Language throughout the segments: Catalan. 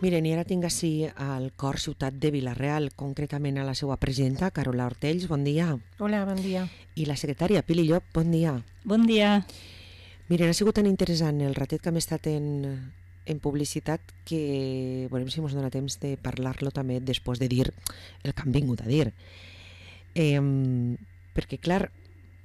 Miren, i ara tinc així al cor ciutat de Vila-real, concretament a la seva presidenta, Carola Ortells, bon dia. Hola, bon dia. I la secretària, Pili Llop, bon dia. Bon dia. Miren, ha sigut tan interessant el ratet que hem estat en publicitat que veurem si ens dona temps de parlar-lo també després de dir el que han vingut a dir. Perquè, clar,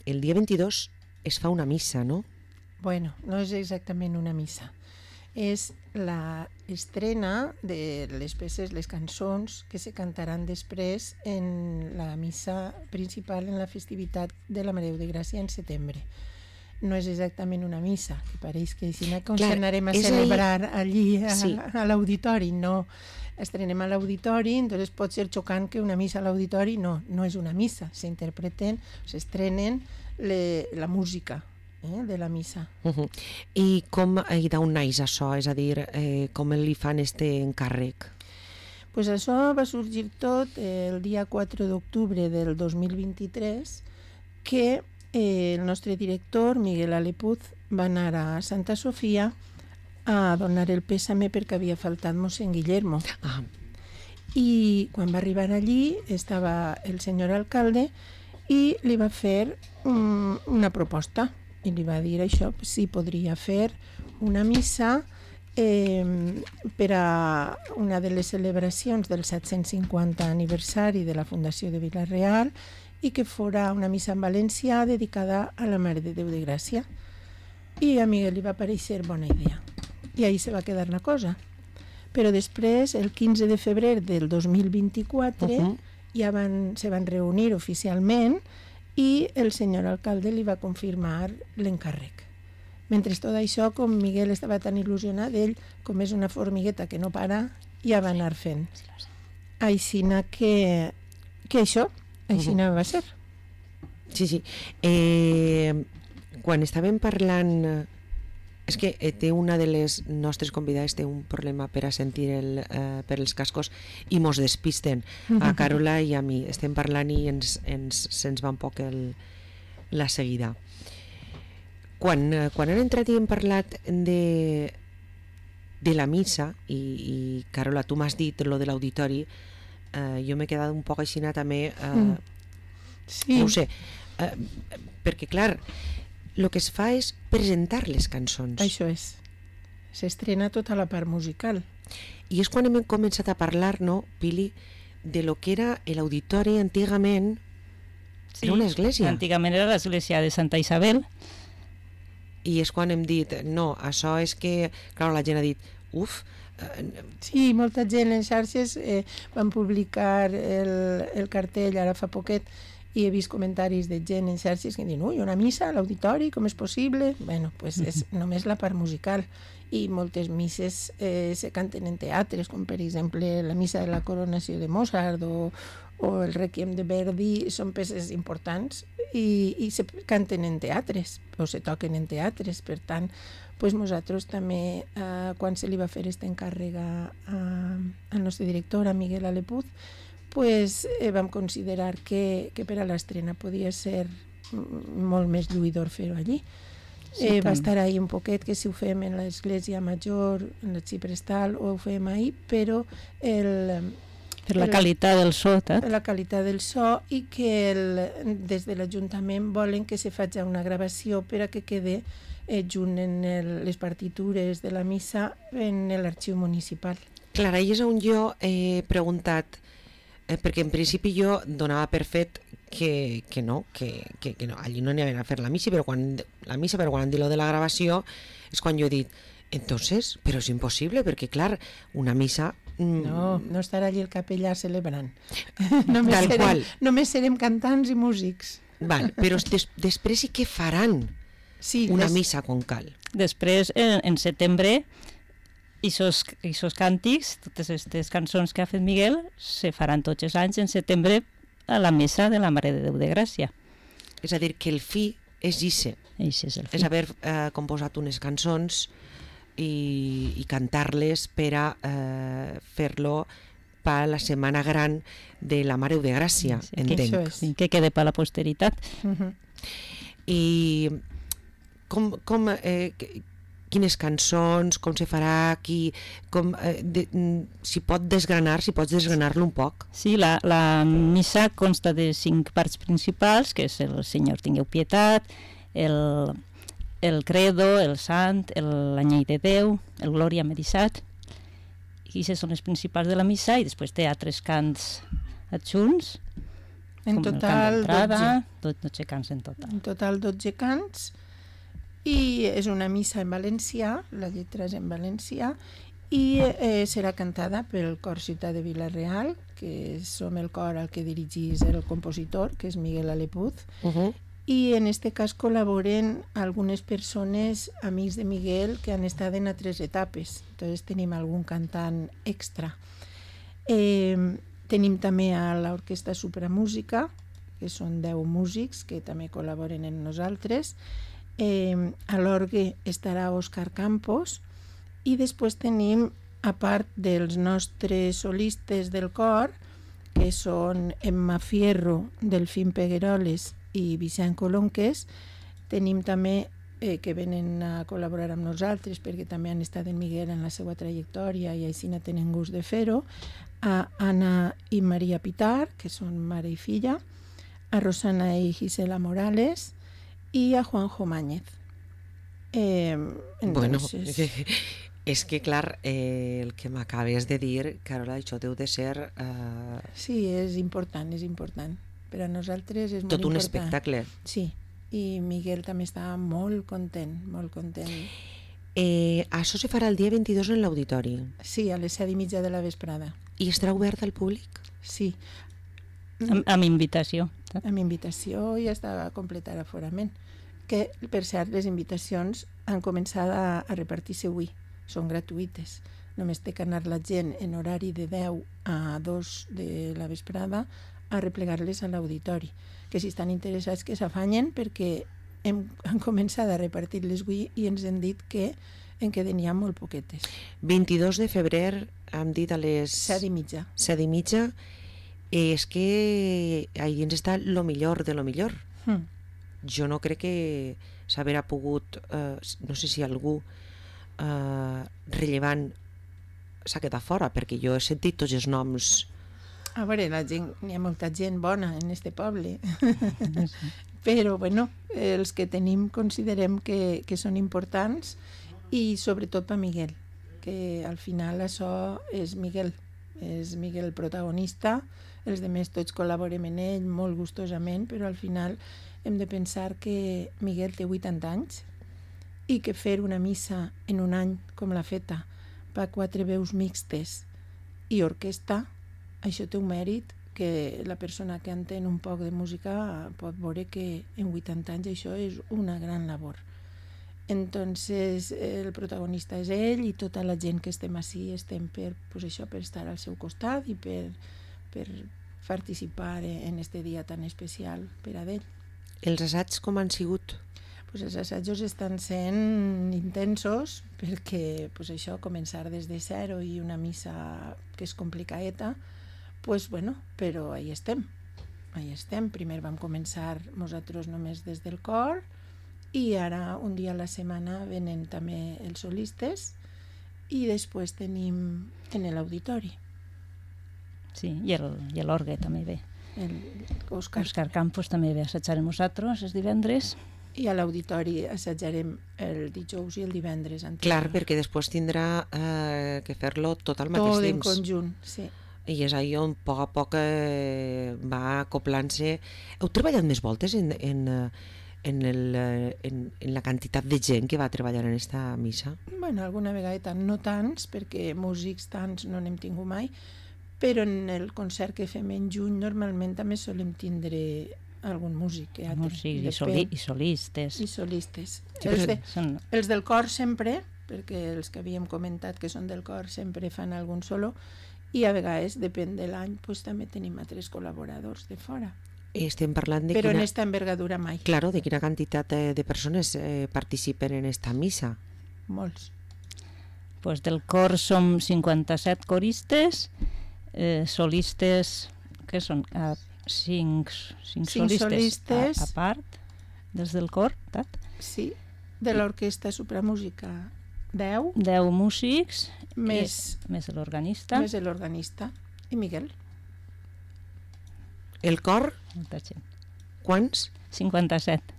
el dia 22 es fa una missa, no? Bueno, no és exactament una missa. És la estrena de les peces, les cançons que se cantaran després en la missa principal en la festivitat de la Mare de Gràcia en setembre. No és exactament una missa, que pareix que si anarem a celebrar allí a l'auditori, no. Estrenem a l'auditori, entonces pot ser xocant que una missa a l'auditori no és una missa, s'estrenen la música de la missa. I d'on naix això? És a dir, com li fan este encàrrec? Pues això va sorgir tot el dia 4 d'octubre del 2023, que el nostre director, Miguel Alepuz, va anar a Santa Sofia a donar el pèsame perquè havia faltat mossèn Guillermo. I quan va arribar allí estava el senyor alcalde i li va fer una proposta i li va dir això, si podria fer una missa per a una de les celebracions del 750 aniversari de la Fundació de Vila-real i que fora una missa en valencià dedicada a la Mare de Déu de Gràcia. I a Miguel li va parèixer bona idea. I ahí se va quedar la cosa. Però després, el 15 de febrer del 2024, ja se van reunir oficialment i el senyor alcalde li va confirmar l'encàrrec. Mentre tot això, com Miguel estava tan il·lusionat, ell, com és una formigueta que no para, ja va anar fent. Aixina que això, aixina va ser. Sí. Quan estàvem parlant... És que té una de les nostres convidades té un problema per a sentir per els cascos i mos despisten a Carola i a mi. Estem parlant i se'ns va un poc la seguida. Quan han entrat i hem parlat de la missa i Carola, tu m'has dit lo de l'auditori, jo m'he quedat un poc així també sí. No ho sé, perquè clar, el que es fa és presentar les cançons. Això és. S'estrena tota la part musical. I és quan hem començat a parlar, no, Pili, de lo que era l'auditori antigament. Sí, era una església. Antigament era l'església de Santa Isabel. I és quan hem dit, no, això és que, clar, la gent ha dit, Sí, molta gent en xarxes van publicar el cartell ara fa poquet i he vist comentaris de gent en xarxes que diuen, una missa a l'auditori, com és possible? Bueno, pues és només la part musical i moltes misses se canten en teatres, com per exemple la missa de la coronació de Mozart o el Requiem de Verdi, són peces importants i se canten en teatres o se toquen en teatres, per tant pues nosaltres també quan se li va fer aquest encàrrec al nostre director, a Miguel Alepuz, pues vam considerar que per a l'estrena podia ser molt més lluïdor fer-ho allí. Sí, va estar ahí un poquet que si ho fem en l'església major, en l'arxiprestal, o ho fem ahí, però per la qualitat del so, la qualitat del so i que des de l'Ajuntament volen que se faci una gravació per a que quede junt en les partitures de la missa en l'arxiu municipal. Clar, i és on jo he preguntat, perquè en principi jo donava per fet que no, allí no n'hi havia a fer la missa, però quan han dit lo de la gravació és quan jo he dit, entonces, però és impossible, perquè clar, una missa... No estarà allí el capellà celebrant. Només serem cantants i músics. Val, però després sí que faran una missa quan cal. Després, en setembre, aquests càntics, totes aquestes cançons que ha fet Miguel, se faran tots els anys en setembre a la missa de la Mare de Déu de Gràcia. És a dir, que el fi és ixe. És haver composat unes cançons i cantar-les per a fer-lo per la Setmana Gran de la Mare de Gràcia, entenc. Que quede per la posteritat. I quines cançons, com se farà, si pots desgranar-lo un poc. Sí, la missa consta de 5 parts principals, que és el Senyor tingueu pietat, el credo, el sant, l'anyell de Déu, el Glòria medissat, i aquestes són les principals de la missa, i després té altres cants adjunts, en total 12 cants en total. En total 12 cants, i és una missa en valencià, la lletra és en valencià, i serà cantada pel Cor Ciutat de Vila-real, que som el cor al que dirigís el compositor, que és Miguel Alepuz, i en este cas col·laboren algunes persones, amics de Miguel, que han estat en altres etapes. Entonces tenim algun cantant extra. Tenim també a l'Orquestra Supramúsica, que són 10 músics que també col·laboren amb nosaltres. A l'orgue estarà Òscar Campos, i després tenim, a part dels nostres solistes del cor, que són Emma Fierro, Delfín Pegueroles i Vicent Colonques, tenim també que venen a col·laborar amb nosaltres perquè també han estat en Miguel en la seva trajectòria i així no tenen gust de fer-ho, a Anna i Maria Pitar, que són mare i filla, a Rosana i Gisela Morales i a Juanjo Máñez. Bueno, és que clar, el que m'acabes de dir, Carola, això deu de ser... Sí, és important. Per a nosaltres és molt important. Tot un espectacle. Sí, i Miguel també està molt content. Això se farà el dia 22 en l'auditori? Sí, a les 7:30 de la vesprada. I estarà obert al públic? Sí. Amb invitació. Amb invitació i està completar aforament. Que, per cert, les invitacions han començat a repartir-se avui. Són gratuïtes. Només té que anar la gent en horari de 10 a 2 de la vesprada a replegar-les a l'auditori. Que si estan interessats que s'afanyen, perquè han començat a repartir-les avui i ens han dit que en queden ja molt poquetes. 22 de febrer, hem dit a les... 7:30. 7:30. És que ahí ens està lo millor de lo millor. Jo no crec que s'haurà pogut, no sé si algú rellevant s'ha quedat fora, perquè jo he sentit tots els noms. A veure, hi ha molta gent bona en este poble, però bueno, els que tenim considerem que són importants, i sobretot per Miguel, que al final això és Miguel el protagonista. Els altres tots col·laborem en ell molt gustosament, però al final hem de pensar que Miguel té 80 anys i que fer una missa en un any com l'ha feta per 4 veus mixtes i orquestra, això té un mèrit que la persona que entén un poc de música pot veure que en 80 anys això és una gran labor. Entonces el protagonista és ell, i tota la gent que estem ací estem per estar al seu costat i per participar en este dia tan especial per a ell. Els assaigs com han sigut? Els assajos estan sent intensos, perquè això, començar des de zero i una missa que és complicadeta, però ahí estem. Primer vam començar nosaltres només des del cor, i ara un dia a la setmana venen també els solistes, i després tenim en l'auditori. Sí, i l'orgue també ve. Òscar Campos també ve a assajar amb nosaltres els divendres. I a l'auditori assajarem el dijous i el divendres. Clar, perquè després tindrà que fer-lo tot al mateix temps. Tot en conjunt, sí. I és ahí on a poc a poc va acoplant-se. Heu treballat més voltes en la quantitat de gent que va treballar en esta missa? Bueno, alguna vegada no tants, perquè músics tants no n'hem tingut mai, però en el concert que fem en juny normalment també solem tindre algun músic. I solistes. I solistes. Sí, els del cor sempre, perquè els que havíem comentat que són del cor sempre fan algun solo, i a vegades, depèn de l'any, també tenim altres col·laboradors de fora. Estem parlant de però en esta envergadura mai. Claro, de quina quantitat de persones participen en esta missa? Molts. Pues del cor som 57 coristes, solistes, que són 5 solistes a part, des del cor, Sí, de l'Orquestra Supramúsica 10. 10 músics, Més l'organista. Més l'organista. I Miguel. El cor, Molta gent. quants? 57.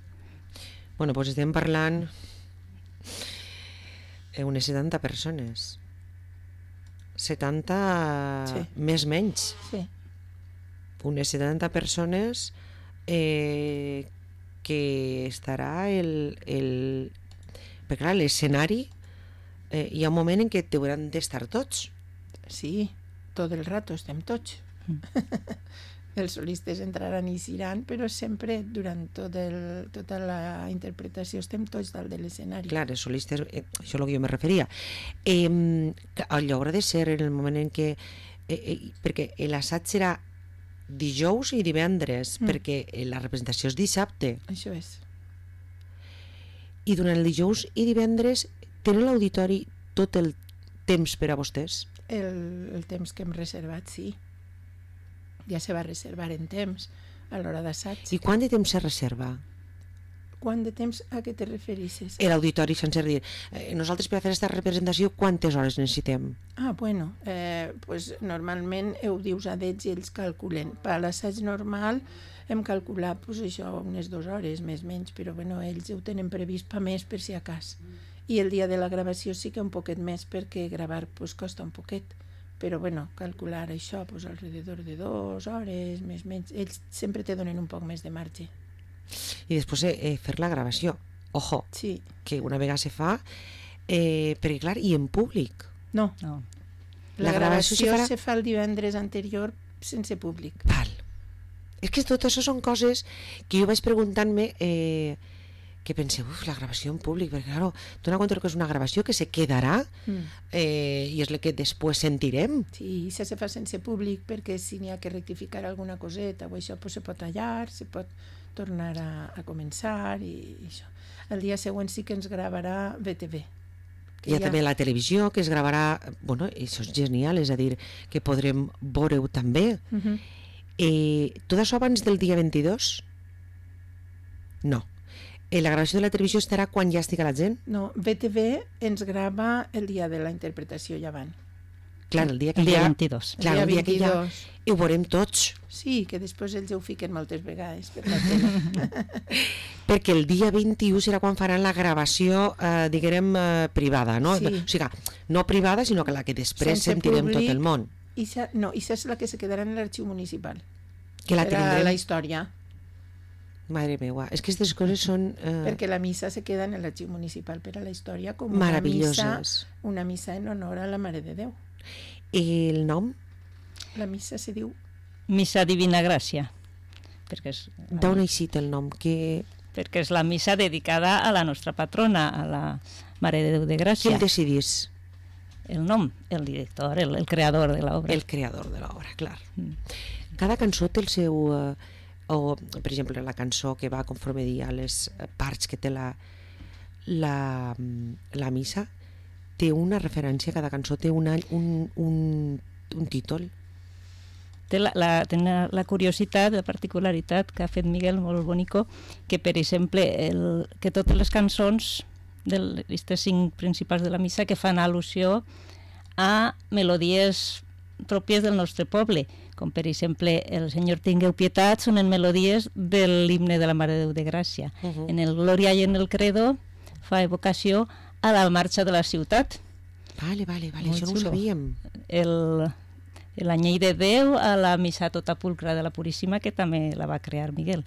Bueno, doncs estem parlant unes 70 persones. 70 Sí. més menys. Sí. Unes 70 persones que estarà perquè clar, l'escenari hi ha un moment en què hauran d'estar tots. Sí, tot el rato estem tots. Els solistes entraran i iran, però sempre durant tota la interpretació estem tots dalt de l'escenari. Clar, els solistes, això és el que jo me referia. Allò haurà de ser en el moment en què... perquè l'assaig serà dijous i divendres, perquè la representació és dissabte. Això és. I durant el dijous i divendres tenen l'auditori tot el temps per a vostès? El temps que hem reservat, sí. Ja se va reservar en temps a l'hora d'assaig. I quant de temps se reserva? Quant de temps a què te referisses? L'auditori, sense dir, nosaltres per a fer aquesta representació quantes hores necessitem? Bueno, pues normalment ho dius a d'ells i ells calculen. Per a l'assaig normal hem calculat pues, això, unes 2 hores, més o menys, però bueno, ells ho tenen previst per més per si a cas. I el dia de la gravació sí que un poquet més perquè gravar pues, costa un poquet. Però bueno, calcular això pues, alrededor de 2 hores, més o menys. Ells sempre te donen un poc més de marge. I després fer la gravació. Ojo, Sí. que una vegada se fa, perquè clar, i en públic. No, No. la gravació farà... se fa el divendres anterior sense públic. Val. És que tot això són coses que jo vaig preguntant-me que pensé, la gravació en públic, perquè claro, dona compte que és una gravació que se quedarà i és la que després sentirem. Sí, i se fa sense públic perquè si n'hi ha que rectificar alguna coseta o això pues, se pot tallar, se pot tornar a començar i això. El dia següent sí que ens gravarà BTV. Hi ha també la televisió que es gravarà, bueno, això és genial, és a dir, que podrem veure-ho també. Tot això abans del dia 22? No. La gravació de la televisió estarà quan ja estigui la gent? No, BTV ens grava el dia de la interpretació ja van. Clar, el dia que El dia ja... 22. Clar, el dia que ja... 22. Ho veurem tots. Sí, que després ells ho fiquen moltes vegades per la tele. Perquè el dia 21 serà quan faran la gravació, diguem, privada, no? Sí. O sigui, no privada, sinó que la que després Sense sentirem públic. tot el món. I això és la que se quedarà en l'arxiu municipal. Que la Per a tindrem... la història. Madre meva, és que aquestes coses són... Perquè la missa se queda en l'arxiu municipal per a la història com meravelloses. una missa en honor a la Mare de Déu. I el nom? La missa se diu... Missa Divina Gràcia, perquè D'on ha eixit el nom? perquè és la missa dedicada a la nostra patrona, a la Mare de Déu de Qui Gràcia. el decidís? El nom, el director, el creador de l'obra. El creador de l'obra, clar. Cada cançó té el seu... o, per exemple, la cançó que va conforme dia les parts que té la missa, té una referència, cada cançó té un títol. Té la curiositat, la particularitat que ha fet Miguel molt bonico, que per exemple que totes les cançons d'aquestes 5 principals de la missa que fan al·lusió a melodies pròpies del nostre poble, com per exemple el Senyor tingueu pietat són en melodies de l'himne de la Mare de Déu de Gràcia. En el Glòria i en el Credo fa evocació a la marxa de la ciutat. Vale, Molt això no ho xulo. sabíem. L'Anyell de Déu a la Missa Tota Pulcra de la Puríssima, que també la va crear Miguel.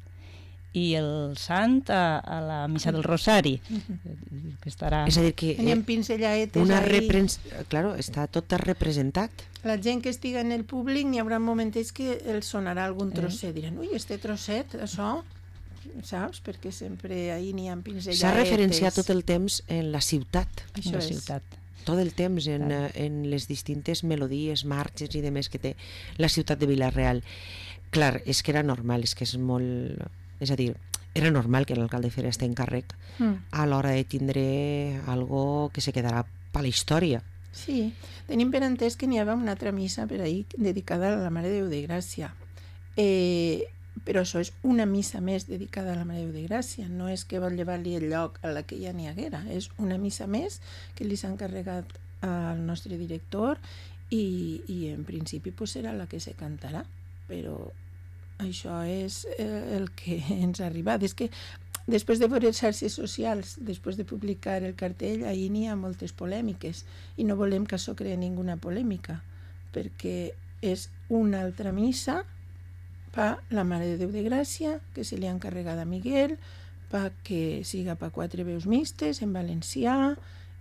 I el Sant a la Missa del Rosari, que estarà... És a dir, que Teníem pinzelladetes ahí. Claro, està tot representat. La gent que estiga en el públic n'hi haurà moments que els sonarà algun trosset. Diran, ui, este trosset, això... Saps? Perquè sempre ahí n'hi ha pinzelladetes. S'ha referenciat tot el temps en la ciutat. Això la és. ciutat. Tot el temps en les distintes melodies, marxes i demés que té la ciutat de Vila-real. Clar, és que era normal, és que és molt... És a dir, era normal que l'alcalde fes aquest encàrrec a l'hora de tindre algo que se quedarà per la història. Sí, tenim per entès que n'hi havia una altra missa per ahir dedicada a la Mare de Déu de Gràcia. però això és una missa més dedicada a la Mare de Déu de Gràcia, no és que vol llevar-li el lloc a la que ja n'hi haguera, és una missa més que li s'ha encarregat al nostre director i en principi pues, serà la que se cantarà, però això és el que ens ha arribat. És que després de veure les xarxes socials, després de publicar el cartell, ahir n'hi ha moltes polèmiques i no volem que això creï ninguna polèmica, perquè és una altra missa per la Mare de Déu de Gràcia, que se li ha encarregat a Miguel, que siga per 4 veus mixtes en valencià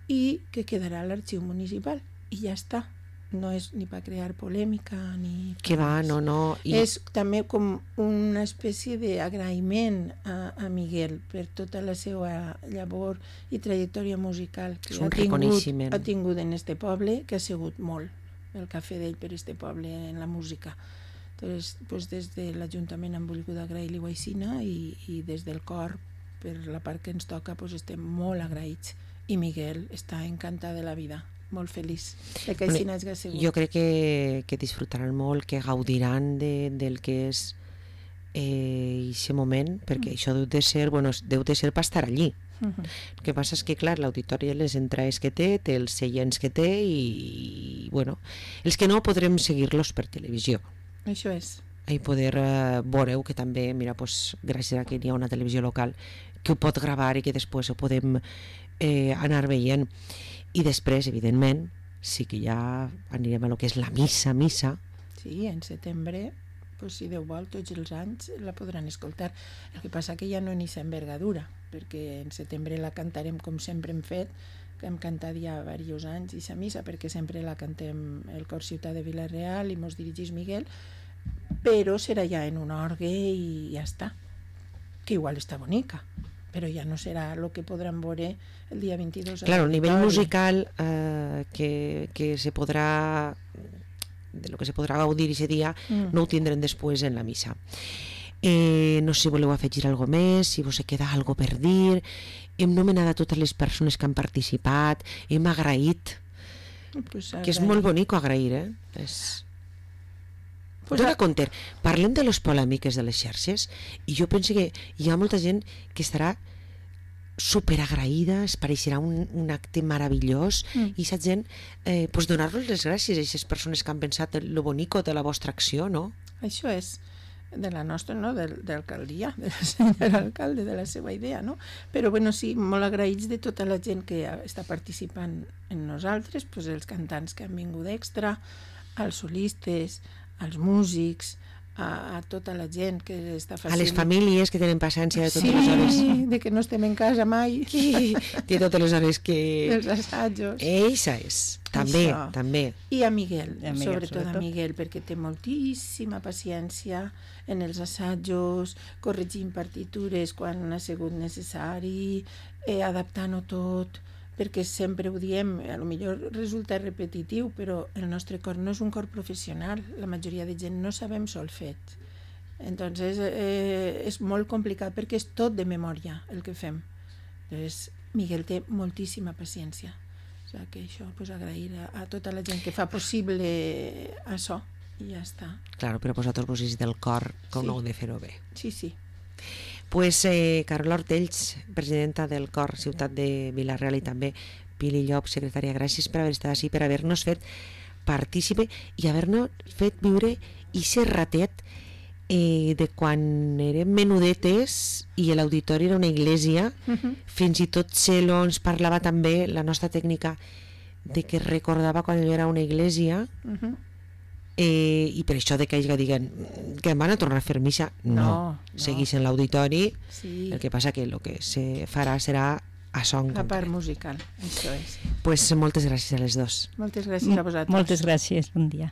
i que quedarà a l'arxiu municipal. I ja està. No és ni per crear polèmica ni... Que va, no. És també com una espècie d'agraïment a Miguel per tota la seva llavor i trajectòria musical que ha tingut en este poble, que ha sigut molt el que ha fet ell per este poble en la música. Entonces, pues des de l'Ajuntament han volgut agrair-li guaixina i des del cor, per la part que ens toca, pues estem molt agraïts. I Miguel està encantat de la vida, molt feliç de que així n'hagi sigut. Jo crec que disfrutaran molt, que gaudiran del que és aquest moment, perquè això deu de ser per estar allí. El que passa és que, clar, l'auditori les entrades que té els seients que té i, bueno, els que no podrem seguir-los per televisió. Això és. I poder veureu que també, mira, pues, gràcies a que hi ha una televisió local que ho pot gravar i que després ho podem anar veient. I després, evidentment, sí que ja anirem a lo que és la missa. Sí, en setembre, pues, si Déu vol, tots els anys la podran escoltar. El que passa que ja no n'hi ha envergadura, perquè en setembre la cantarem com sempre hem fet, que hem cantat ja diversos anys, i la missa, perquè sempre la cantem el Cor Ciutat de Vila-real i mos dirigís Miguel, però serà ja en un orgue i ja està, que igual està bonica, però ja no serà el que podran veure el dia 22. Claro, el nivell musical que se podrà, de lo que se podrà gaudir aquest dia, no ho tindrem després en la missa. No sé si voleu afegir alguna cosa més, si vos queda alguna cosa per dir. Hem nomenat a totes les persones que han participat, hem agraït, que és molt bonic agrair, Dona compte, parlem de les polèmiques de les xarxes i jo penso que hi ha molta gent que estarà superagraïda, es pareixerà un acte meravellós i aquesta gent, donar-los les gràcies a aquestes persones que han pensat lo bonico de la vostra acció, no? Això és de la nostra, no? De l'alcaldia, del senyor alcalde, de la seva idea, no? Però, bueno, sí, molt agraïts de tota la gent que està participant en nosaltres, pues, els cantants que han vingut extra, els solistes, els músics, a tota la gent que està facilitant. A les famílies que tenen paciència de totes les hores. Sí, de que no estem en casa mai. De totes les hores que... Els assajos. Eixa és, també. I a Miguel, sobretot a Miguel, perquè té moltíssima paciència en els assajos, corregint partitures quan ha sigut necessari, adaptant-ho tot, perquè sempre ho diem, potser resulta repetitiu, però el nostre cor no és un cor professional, la majoria de gent no sabem solfeig. Entonces és molt complicat perquè és tot de memòria el que fem. Entonces, Miguel té moltíssima paciència. O sigui que això, pues, agrair a tota la gent que fa possible això i ja està. Claro, però vosaltres vos és del cor com no heu de fer-ho bé. Sí, sí. Pues Carola Ortells, presidenta del Cor Ciutat de Vila-real, i també Pili Llop, secretària, gràcies per haver estat així, per haver-nos fet partícipe i haver-nos fet viure aquest ratet de quan érem menudetes i l'auditori era una església, fins i tot Celo ens parlava també, la nostra tècnica, de que recordava quan ell era una església, i per això de que ells diguen que van a tornar a fer missa, no. Seguís en l'auditori, el que passa que el que se farà serà a son la part musical, això és. Pues moltes gràcies a les dos. Moltes gràcies a vosaltres. Moltes gràcies, bon dia.